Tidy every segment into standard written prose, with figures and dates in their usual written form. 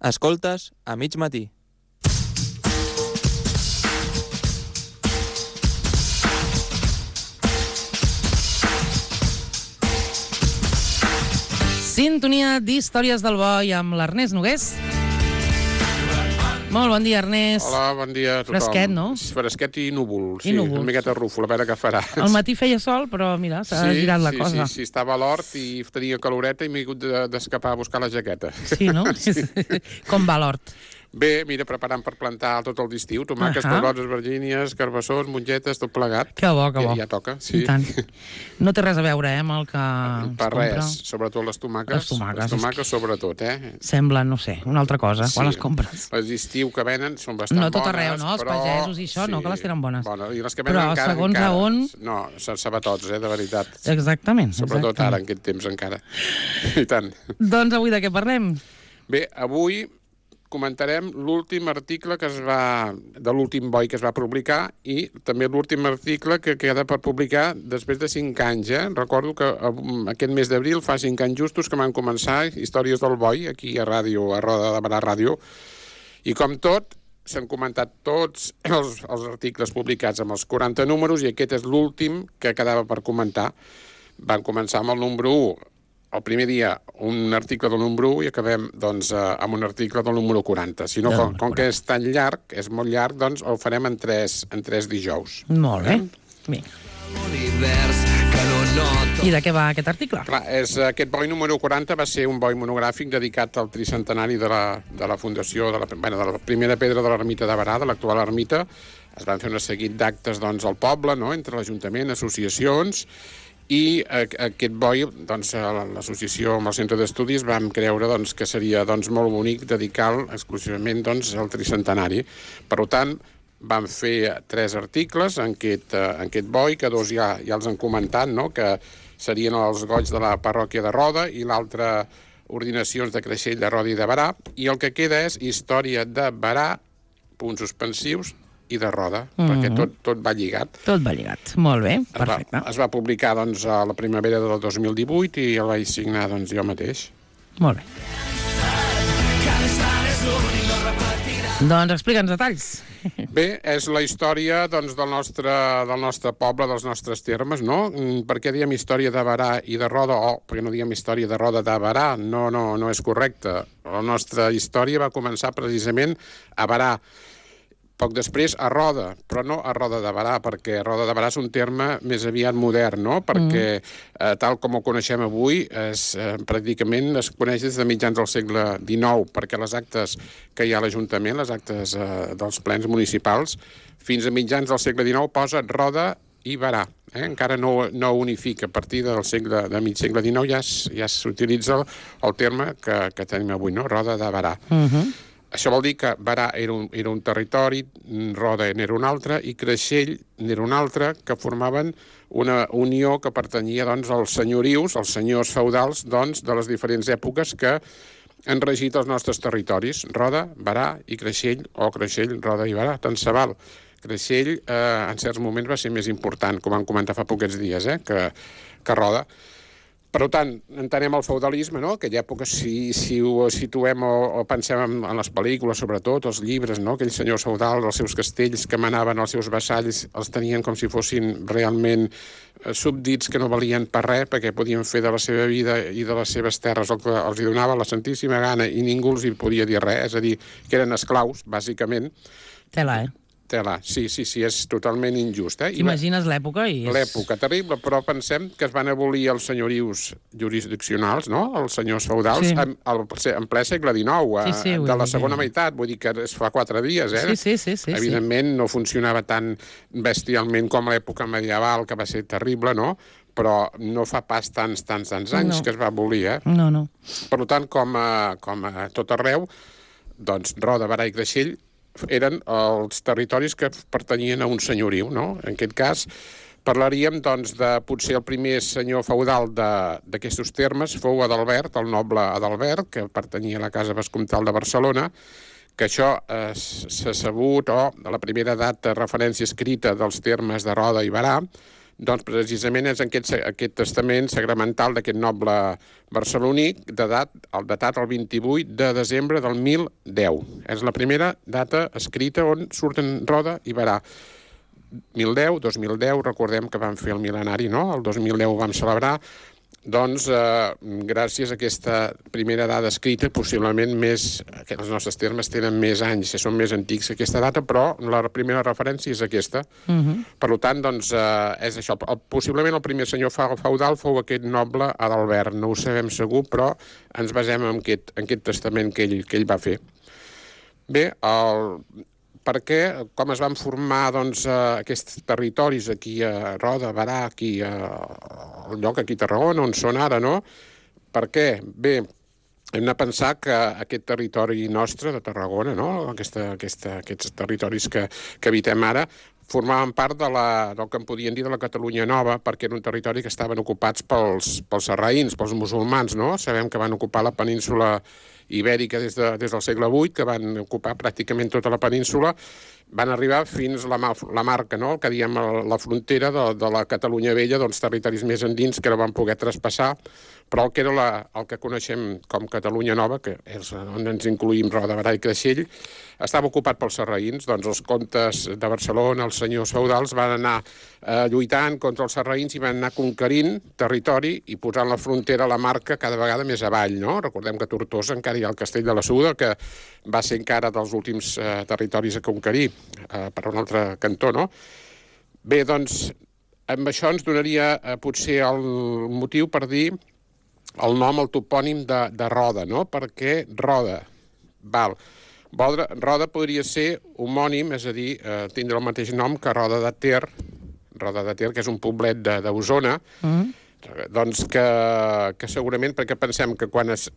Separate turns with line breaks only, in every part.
Escoltes a mig matí.
Sintonia d'Històries del Boi amb l'Ernest Nogués. Molt bon dia, Ernest.
Hola, bon dia a tothom.
Fresquet, no?
Fresquet i núvol,
I núvols.
una miqueta rúfol, a veure què farà.
Al matí feia sol, però mira, s'ha girat la cosa.
Sí, estava a l'hort i tenia caloreta i m'he hagut d'escapar a buscar la jaqueta.
Sí, no? Com va l'hort?
Bé, mira, preparant per plantar tot el d'estiu, tomàquets, pebrots, albergínies, carbassors, mongetes, tot plegat.
Que bo, que bo.
Ja toca, sí.
I tant. No té res a veure, amb el que
per res, sobretot les tomàquets. Les tomàquets, sobretot,
Sembla, no sé, una altra cosa, quan les compres.
Les d'estiu que venen són bastant bones.
No tot arreu, no? Els pagesos i això, no, que les tenen bones.
Bueno, i les que venen encara...
Però segons a on...
No, se'n sap a tots, de veritat.
Exactament.
Sobretot ara, en aquest temps, encara. I tant.
Doncs avui de què parlem?
Bé, avui comentarem l'últim article de l'últim boi que es va publicar i també l'últim article que queda per publicar després de 5 anys. Recordo que aquest mes d'abril fa 5 anys justos que van començar Històries del Boi, aquí a Roda de Barà Ràdio, i com tot, s'han comentat tots els articles publicats amb els 40 números i aquest és l'últim que quedava per comentar. Van començar amb el número 1. El primer dia un article del número 1 i acabem doncs, amb un article del número 40. Si no, com que és tan llarg, és molt llarg, doncs el farem en tres dijous.
Molt bé. Bé. I de què va aquest article?
Clar, aquest boi número 40 va ser un boi monogràfic dedicat al tricentenari de la fundació, de la primera pedra de l'ermita de Barà, de l'actual ermita. Es van fer un seguit d'actes doncs, al poble, no?, entre l'Ajuntament, associacions, i aquest boi, doncs, l'associació amb el centre d'estudis vam creure doncs, que seria doncs, molt bonic dedicar-lo exclusivament doncs, al tricentenari. Per tant, vam fer 3 articles en aquest boi, que 2 ja els han comentat, no?, que serien els goigs de la parròquia de Roda i l'altre ordinacions de Creixell, de Roda i de Barà, i el que queda és història de Barà, punts suspensius, i de Roda, perquè tot va lligat.
Tot va lligat, molt bé, perfecte.
Es va publicar doncs, a la primavera del 2018 i el vaig signar doncs, jo mateix.
Molt bé. Doncs explica'ns detalls.
Bé, és la història doncs, del nostre poble, dels nostres termes, no? Per què diem història de Barà i de Roda? Perquè no diem història de Roda de Barà? No és correcte. La nostra història va començar precisament a Barà. Poc després a Roda, però no a Roda de Barà, perquè Roda de Barà és un terme més aviat modern, no? Perquè tal com ho coneixem avui, pràcticament es coneix des de mitjans del segle XIX, perquè les actes que hi ha a l'Ajuntament, les actes dels plens municipals, fins a mitjans del segle XIX posa Roda i Barà. Encara no unifica. A partir del mig segle XIX ja s'utilitza el terme que tenim avui, no? Roda de Barà. Això vol dir que Barà era un territori, Roda n'era un altre, i Creixell n'era un altre, que formaven una unió que pertanyia doncs, als senyorius, als senyors feudals doncs, de les diferents èpoques que han regit els nostres territoris. Roda, Barà i Creixell, o Creixell, Roda i Barà, tant se val. Creixell en certs moments va ser més important, com vam comentar fa poquets dies, que Roda. Per tant, entenem el feudalisme, no? Aquella època, si ho situem o pensem en les pel·lícules, sobretot, els llibres, no? Aquells senyors feudals, els seus castells que manaven els seus vassalls, els tenien com si fossin realment súbdits que no valien per res, perquè podien fer de la seva vida i de les seves terres el que els hi donava la santíssima gana i ningú els hi podia dir res, és a dir, que eren esclaus, bàsicament.
Tela,
Sí, és totalment injust.
T'imagines l'època?
L'època terrible, però pensem que es van abolir els senyorius jurisdiccionals, no?, els senyors feudals, en ple segle XIX, de la segona meitat, vull dir que es fa 4 dies,
Sí.
Evidentment no funcionava tan bestialment com l'època medieval, que va ser terrible, no?, però no fa pas tants anys que es va abolir,
No.
Per tant, com a tot arreu, doncs Roda, Barà i Creixell eren els territoris que pertanyien a un senyoriu, no? En aquest cas, parlaríem, doncs, de potser el primer senyor feudal d'aquests termes fou Adalbert, el noble Adalbert, que pertanyia a la Casa Vescomtal de Barcelona, que això s'ha sabut, la primera data de referència escrita dels termes de Roda i Barà Doncs precisament és aquest testament sagramental d'aquest noble barceloní, datat el 28 de desembre del 1010. És la primera data escrita on surten Roda i Berà. 1010, 2010, recordem que vam fer el mil·lenari, no? El 2010 ho vam celebrar. Doncs, gràcies a aquesta primera dada escrita, possiblement que els nostres termes tenen més anys, són més antics que aquesta data, però la primera referència és aquesta. Per tant, doncs, és això. Possiblement el primer senyor feudal fou aquest noble Adalbert, no ho sabem segur, però ens basem en aquest testament que ell va fer. Bé, com es van formar doncs, aquests territoris aquí a Roda, Berà, aquí al lloc aquí a Tarragona, on són ara, no? Per què? Bé, hem de pensar que aquest territori nostre de Tarragona, no? Aquests territoris que habitem ara, formaven part del que en podien dir de la Catalunya Nova, perquè era un territori que estaven ocupats pels sarraïns, pels musulmans, no? Sabem que van ocupar la península ibèrica des del segle VIII, que van ocupar pràcticament tota la península, van arribar fins a la Marca, no? El que diem la frontera de la Catalunya Vella, doncs territoris més endins que no van poder traspassar, però el que era el que coneixem com Catalunya Nova, que és on ens incluïm Roda, Berà i Creixell, estava ocupat pels sarraïns. Doncs els comtes de Barcelona, els senyors feudals, van anar lluitant contra els sarraïns i van anar conquerint territori i posant la frontera a la Marca cada vegada més avall, no? Recordem que a Tortosa encara hi ha el Castell de la Suda, que va ser encara dels últims territoris a conquerir per un altre cantó, no? Bé, doncs, amb això ens donaria potser el motiu per dir el nom, el topònim de Roda, no? Perquè Roda, Roda podria ser homònim, és a dir, tindre el mateix nom que Roda de Ter, que és un poblet d'Osona, doncs que segurament, perquè pensem que quan es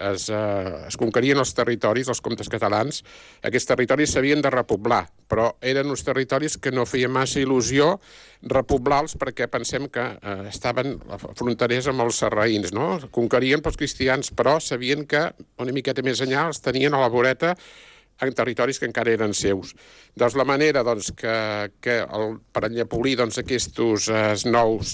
conquerien els territoris, els comtes catalans, aquests territoris s'havien de repoblar, però eren uns territoris que no feia massa il·lusió repoblar-los perquè pensem que estaven fronterers amb els sarraïns, no? Conquerien pels cristians, però sabien que una miqueta més enllà els tenien a la voreta en territoris que encara eren seus. Doncs la manera per enllepolir aquests nous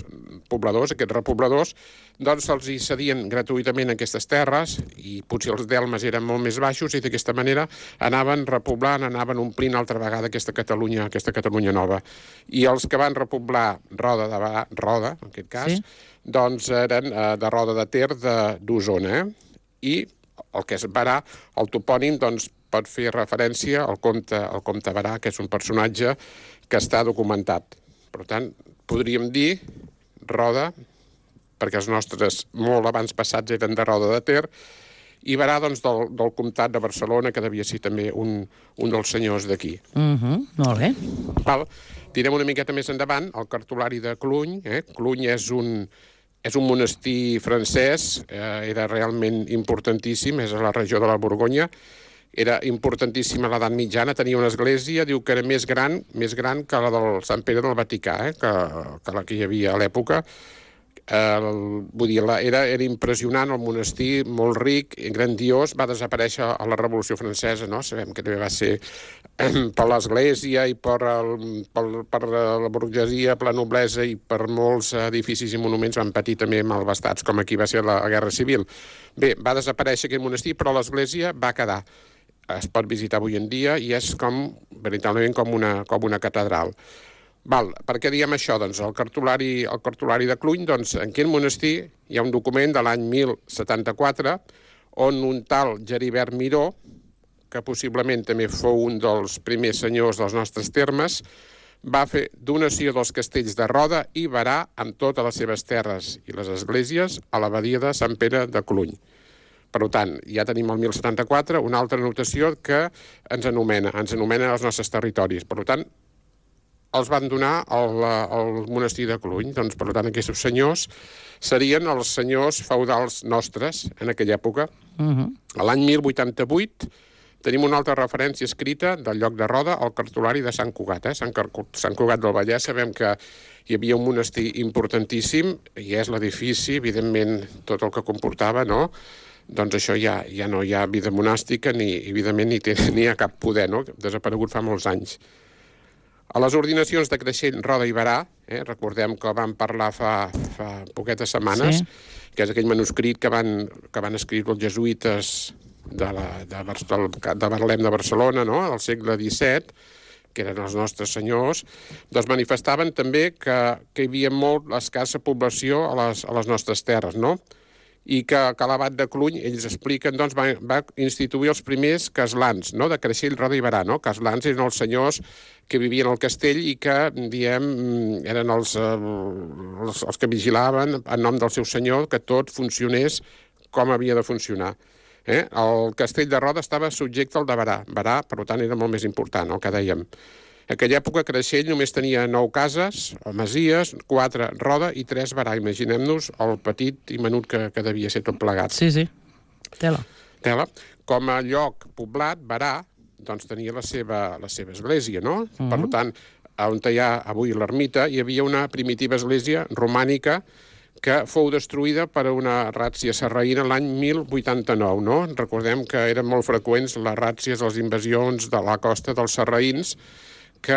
pobladors, aquests repobladors, doncs se'ls cedien gratuïtament aquestes terres i potser els delmes eren molt més baixos i d'aquesta manera anaven repoblant, anaven omplint altra vegada aquesta Catalunya Nova. I els que van repoblar Roda, en aquest cas, doncs eren de Roda de Ter d'Osona. I el que és Berà, el topònim, doncs, pot fer referència al comte Berà, que és un personatge que està documentat. Per tant, podríem dir Roda, perquè els nostres molt abans passats eren de Roda de Ter, i Berà, doncs, del comtat de Barcelona, que devia ser també un dels senyors d'aquí.
Molt bé.
Direm una miqueta més endavant el cartulari de Cluny. Cluny és un monestir francès, era realment importantíssim, és a la regió de la Borgonya, era importantíssima a l'edat mitjana, tenia una església, diu que era més gran que la del Sant Pere del Vaticà, que la que hi havia a l'època. Vull dir, era impressionant, el monestir, molt ric, grandiós, va desaparèixer a la Revolució Francesa, no? Sabem que també va ser per l'església i per la burgesia, per la noblesa i per molts edificis i monuments van patir també malvestats, com aquí va ser la Guerra Civil. Bé, va desaparèixer aquest monestir, però l'església va quedar. Es pot visitar avui en dia i és veritablement com una catedral. Per què diem això? Doncs el cartulari de Cluny, doncs en aquest monestir hi ha un document de l'any 1074 on un tal Geribert Miró, que possiblement també fou un dels primers senyors dels nostres termes, va fer donació dels castells de Roda i Berà amb totes les seves terres i les esglésies a l'abadia de Sant Pere de Cluny. Per tant, ja tenim el 1074, una altra notació que ens anomena els nostres territoris. Per tant, els van donar al monestir de Cluny. Doncs, per tant, aquests senyors serien els senyors feudals nostres en aquella època. A l'any 1088 tenim una altra referència escrita del lloc de Roda, al cartulari de Sant Cugat. Sant Cugat del Vallès, sabem que hi havia un monestir importantíssim i és l'edifici, evidentment, tot el que comportava, no? Doncs això ja no hi ha vida monàstica ni, evidentment, ni hi ha cap poder, no? Desaparegut fa molts anys. A les ordinacions de Creixell, Roda i Berà, recordem que vam parlar fa poquetes setmanes, que és aquell manuscrit que van escriure els jesuïtes de Betlem de Barcelona, no?, del segle XVII, que eren els nostres senyors, doncs manifestaven també que hi havia molt escassa població a les nostres terres, no?, i que l'abat de Cluny, ells expliquen, doncs, va instituir els primers caslans, no?, de Creixell, Roda i Berà, no? Caslans eren els senyors que vivien al castell i que, diem, eren els que vigilaven en nom del seu senyor que tot funcionés com havia de funcionar. El castell de Roda estava subjecte al de Berà. Berà, per tant, era molt més important, el que dèiem. En aquella època, Creixell només tenia 9 cases, o masies, 4 Roda i 3 Berà. Imaginem-nos el petit i menut que devia ser tot plegat.
Sí. Tela.
Com a lloc poblat, Berà, doncs tenia la seva església, no? Per tant, on hi ha avui l'ermita, hi havia una primitiva església romànica que fou destruïda per una ràtzia sarraïna l'any 1089, no? Recordem que eren molt freqüents les ràtzies, les invasions de la costa dels sarraïns, que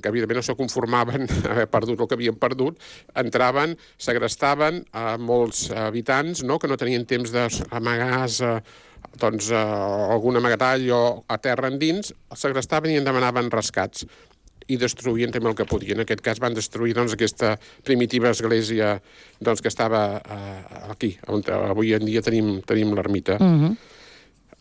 evidentment no se conformaven haver perdut el que havien perdut, entraven, segrestaven a molts habitants, no?, que no tenien temps d'amagar-se algun amagatall o a terra endins, els segrestaven i en demanaven rescats i destruïen també el que podien. En aquest cas van destruir aquesta primitiva església que estava aquí, on avui en dia tenim l'ermita.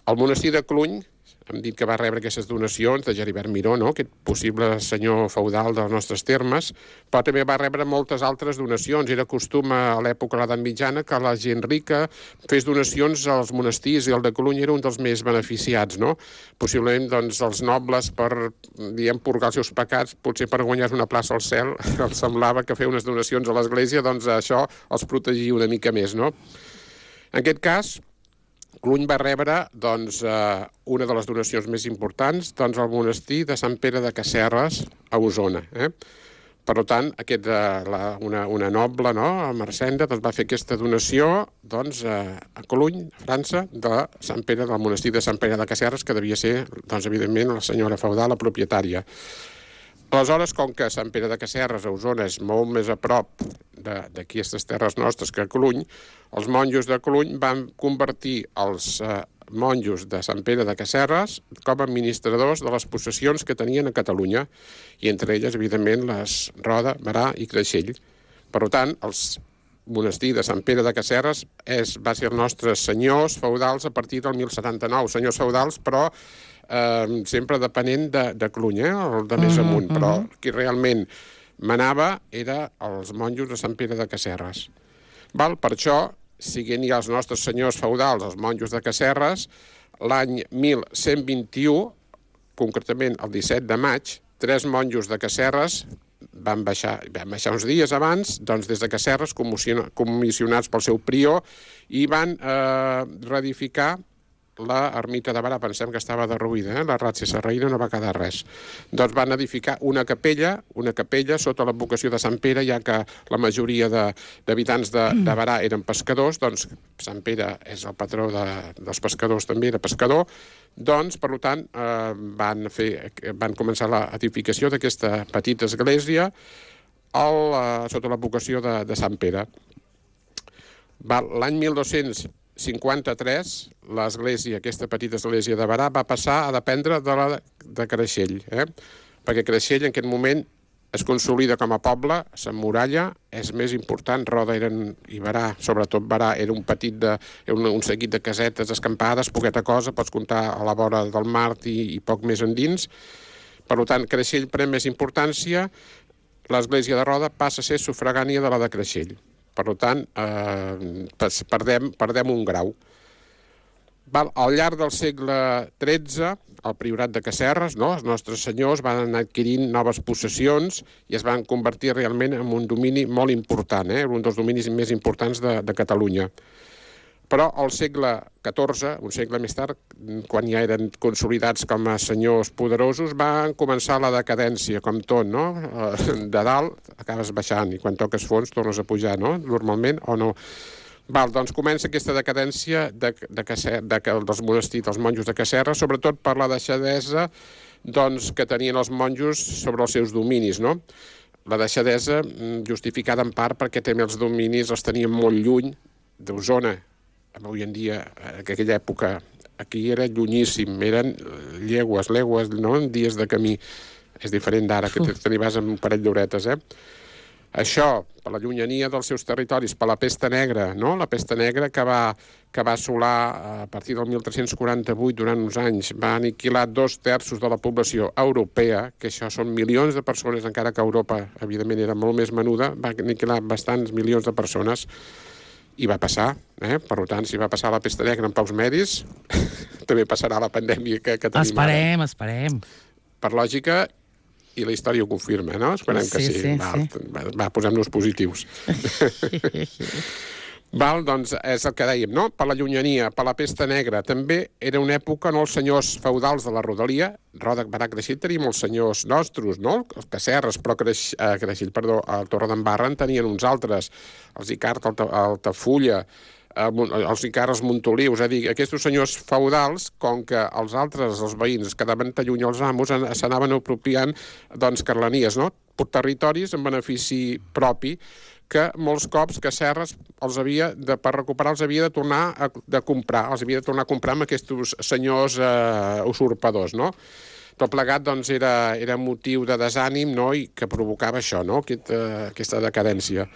El monestir de Cluny, hem dit que va rebre aquestes donacions de Geribert Miró, no?, aquest possible senyor feudal dels nostres termes, però també va rebre moltes altres donacions. Era costum a l'època de l'edat mitjana que la gent rica fes donacions als monestirs i el de Cluny era un dels més beneficiats, no? Possiblement, doncs, els nobles per, diguem, purgar els seus pecats, potser per guanyar una plaça al cel, els semblava que fer unes donacions a l'església, doncs això els protegia una mica més, no? En aquest cas, Cluny va rebre, doncs, una de les donacions més importants, doncs, al monestir de Sant Pere de Casserres, a Osona. Per tant, una noble, no?, a Marcenda, doncs, va fer aquesta donació, doncs, a Cluny, a França, del monestir de Sant Pere de Casserres, que devia ser, doncs, evidentment, la senyora feudal, la propietària. Aleshores, com que Sant Pere de Casserres, a Osona, és molt més a prop d'aquí aquestes terres nostres que a Cluny, els monjos de Cluny van convertir els monjos de Sant Pere de Casserres com a administradors de les possessions que tenien a Catalunya, i entre elles, evidentment, les Roda, Berà i Creixell. Per tant, els monestir de Sant Pere de Casserres va ser els nostres senyors feudals a partir del 1079, senyors feudals, però sempre depenent de Cluny, el de més amunt, però qui realment manava era els monjos de Sant Pere de Casserres. Per això, siguent ja els nostres senyors feudals, els monjos de Casserres, l'any 1121, concretament el 17 de maig, 3 monjos de Casserres van baixar uns dies abans, doncs des de Casserres, comissionats pel seu prior, i van reedificar l'ermita de Berà. Pensem que estava derruïda, la ràtzia sarraïna no va quedar res. Doncs van edificar una capella sota l'advocació de Sant Pere, ja que la majoria d'habitants de Berà eren pescadors, doncs Sant Pere és el patró dels pescadors, també era pescador, doncs, per tant, van començar l'edificació d'aquesta petita església sota l'advocació de Sant Pere. L'any 1253, l'església, aquesta petita església de Berà, va passar a dependre de Creixell, perquè Creixell en aquest moment es consolida com a poble, s'emmuralla, és més important. Roda i Berà, sobretot Berà, era un seguit de casetes escampades, poqueta cosa, pots comptar a la vora del mar i poc més endins. Per tant, Creixell pren més importància, l'església de Roda passa a ser sufragània de la de Creixell. Per tant, perdem un grau. Al llarg del segle XIII, el priorat de Casserres, els nostres senyors van anar adquirint noves possessions i es van convertir realment en un domini molt important, un dels dominis més importants de Catalunya. Però al segle XIV, un segle més tard, quan ja eren consolidats com a senyors poderosos, van començar la decadència, com tot, no? De dalt acabes baixant i quan toques fons tornes a pujar, no? Normalment, o no? Doncs comença aquesta decadència dels monestirs, dels monjos de Casserres, sobretot per la deixadesa doncs, que tenien els monjos sobre els seus dominis, no? La deixadesa justificada en part perquè també els dominis els tenien molt lluny d'Osona. Avui en dia, en aquella època, aquí era llunyíssim, eren llegües, no? Dies de camí. És diferent d'ara, que te n'hi vas amb un parell d'horetes, Això, per la llunyania dels seus territoris, per la pesta negra, no? La pesta negra que va assolar a partir del 1348, durant uns anys, va aniquilar 2/3 de la població europea, que això són milions de persones, encara que Europa, evidentment, era molt més menuda, va aniquilar bastants milions de persones, i va passar, Per tant, si va passar la pesta negra en paus medis, també passarà la pandèmia que tenim ara.
Esperem.
Per lògica, i la història ho confirma, no? Esperem que sí. Va, posem-nos positius. Val, doncs és el que dèiem, no? Per la llunyania, per la pesta negra. També era una època on els senyors feudals de la rodalia, Roda, Barà, Creixell, tenim els senyors nostres, no? Els Casserres, però a Torredembarra en tenien uns altres, els Icart, Altafulla, els Icarres Montoliu, és a dir, aquests senyors feudals, com que els altres, els veïns, quedaven tan lluny els amos, s'anaven apropiant, doncs, carlanies, no? Per territoris en benefici propi, que molts cops Casserres per recuperar els havia de tornar a comprar, amb aquests senyors usurpadors, no? Tot plegat, doncs, era motiu de desànim, no?, i que provocava això, no?, aquesta decadència.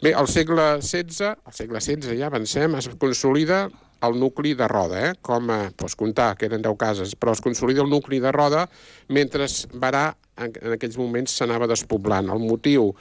Bé, al segle XVI ja avancem, es consolida el nucli de Roda, com pots comptar, que eren 10 cases, però es consolida el nucli de Roda mentre Barà en aquells moments s'anava despoblant. El motiu,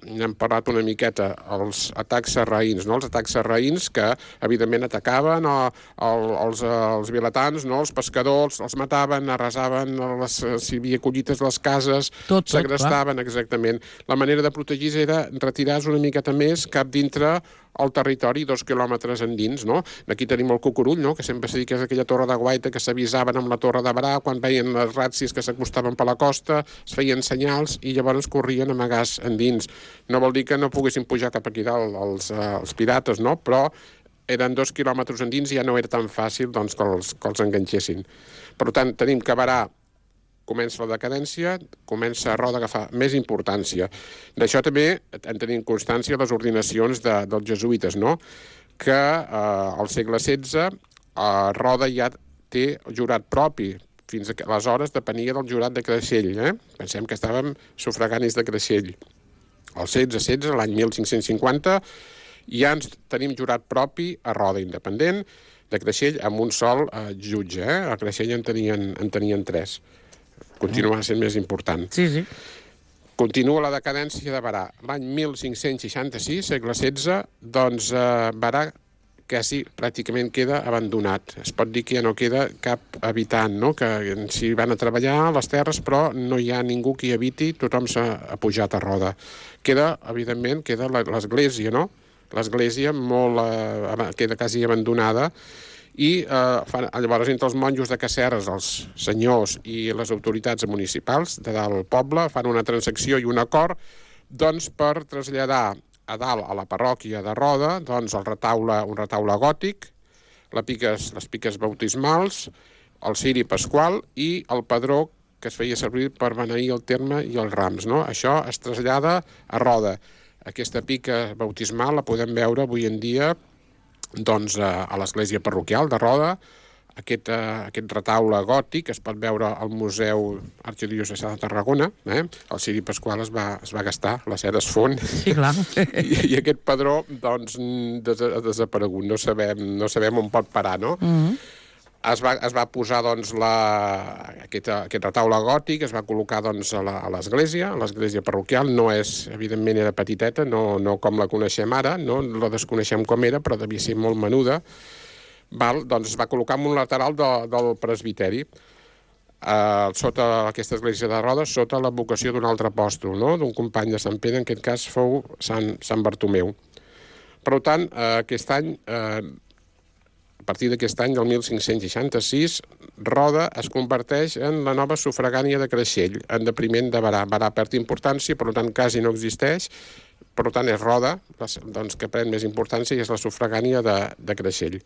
n'hem parlat una miqueta, els atacs sarraïns, no? Els atacs sarraïns que, evidentment, atacaven els vilatans, no? Els pescadors, els mataven, arrasaven, si hi havia collites a les cases, segrestaven, exactament. La manera de protegir era retirar-se una miqueta més cap dintre el territori 2 quilòmetres endins, no? Aquí tenim el Cucurull, no?, que sempre s'ha dit que és aquella torre de guaita que s'avisaven amb la torre de Barà quan veien les ràtzies que s'acostaven per la costa, es feien senyals i llavors corrien amagats endins. No vol dir que no poguessin pujar cap aquí dalt els pirates, no?, però eren 2 quilòmetres endins i ja no era tan fàcil, doncs, que els enganxessin. Per tant, tenim que Barà comença la decadència, comença a Roda a agafar més importància. D'això també en tenim constància les ordinacions dels jesuïtes, no?, que al segle XVI Roda ja té jurat propi. Fins aleshores depenia del jurat de Creixell. Pensem que estàvem sufraganis de Creixell. Al XVI, l'any 1550, ja ens tenim jurat propi a Roda, independent de Creixell, amb un sol jutge. A Creixell en tenien 3. Continua sent més important.
Sí.
Continua la decadència de Barà. L'any 1566, segle XVI, doncs Barà quasi pràcticament queda abandonat. Es pot dir que ja no queda cap habitant, no?, que s'hi van a treballar a les terres, però no hi ha ningú que hi habiti, tothom s'ha pujat a Roda. Evidentment, queda l'església, no? L'església queda quasi abandonada, i llavors entre els monjos de Casserres, els senyors i les autoritats municipals de dalt del poble fan una transacció i un acord, doncs, per traslladar a dalt a la parròquia de Roda, doncs, un retaule gòtic, les piques bautismals, el ciri pasqual i el padró que es feia servir per beneir el terme i els rams, no? Això es trasllada a Roda. Aquesta pica bautismal la podem veure avui en dia, doncs, a l'església parroquial de Roda. Aquest retaule gòtic es pot veure al Museu Arxidiocesà de Tarragona. El ciri pasqual es va gastar, la cera es fon.
Sí, clar.
I aquest padró, doncs, ha desaparegut. No sabem on pot parar, no? Es va posar, doncs, aquest retaule gòtic, es va col·locar, doncs, a l'església parroquial. No és, evidentment, era petiteta, no com la coneixem ara, no la desconeixem com era, però devia ser molt menuda. Doncs es va col·locar en un lateral del presbiteri, sota aquesta església de Roda, sota l'advocació d'un altre apòstol, no?, d'un company de Sant Pere, en aquest cas fou Sant Bartomeu. Per tant, aquest any, a partir d'aquest any, del 1566, Roda es converteix en la nova sufragània de Creixell, en depriment de Barà. Barà perd importància, per tant, quasi no existeix. Per tant, és Roda, doncs, que pren més importància i és la sufragània de Creixell.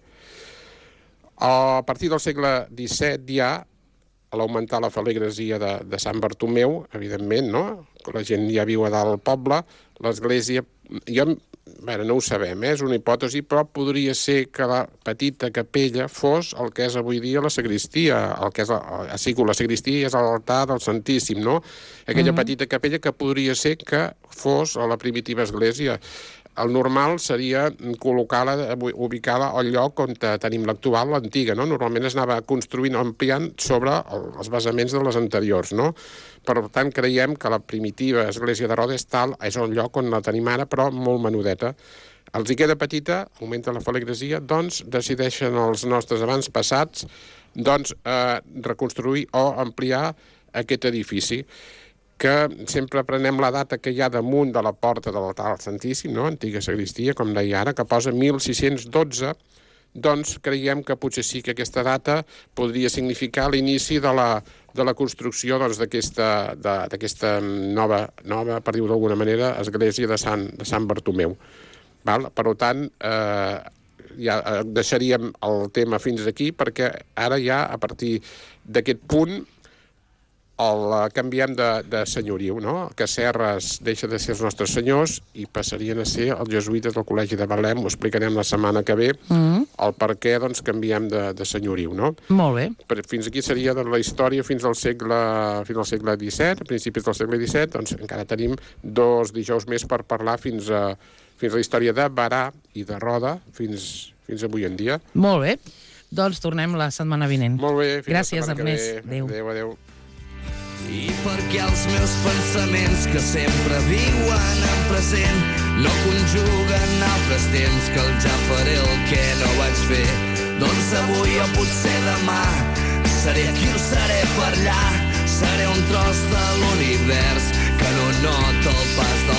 A partir del segle XVII ja a l'augmentar la feligresia de Sant Bartomeu, evidentment, no? La gent ja viu a dalt al poble, l'església... no ho sabem, és una hipòtesi, però podria ser que la petita capella fos el que és avui dia la sagristia, el que és la sagristia és l'altar del Santíssim, no? Aquella petita capella que podria ser que fos a la primitiva església. El normal seria ubicar-la al lloc on tenim l'actual, l'antiga, no? Normalment es anava construint, ampliant sobre els basaments de les anteriors, no? Per tant, creiem que la primitiva església de Roda és un lloc on la tenim ara, però molt menudeta. Els hi queda petita, augmenta la feligresia, doncs decideixen els nostres avantpassats reconstruir o ampliar aquest edifici, que sempre prenem la data que hi ha damunt de la porta de l'altar Santíssim, no? Antiga sagristia, com deia ara, que posa 1612, doncs creiem que potser sí que aquesta data podria significar l'inici de la construcció d'aquesta nova, per dir-ho d'alguna manera, església de Sant Bartomeu. Val? Per tant, ja deixaríem el tema fins aquí, perquè ara ja, a partir d'aquest punt, el canviem de senyoriu, no? Que Serres deixa de ser els nostres senyors i passarien a ser els jesuïtes del Col·legi de Betlem. Ho explicarem la setmana que ve, el per què canviem de senyoriu, no?
Molt bé.
Fins aquí seria la història fins al segle XVII, a principis del segle XVII, doncs encara tenim 2 dijous més per parlar fins a la història de Berà i de Roda, fins avui en dia.
Molt bé. Doncs tornem la setmana vinent.
Molt bé.
Gràcies, Ernest.
Adéu. Adéu.
I perquè els meus pensaments que sempre viuen en present no conjuguen altres temps que el ja faré el que no vaig fer, doncs avui o potser demà seré aquí o seré per allà, seré un tros de l'univers que no nota el pas del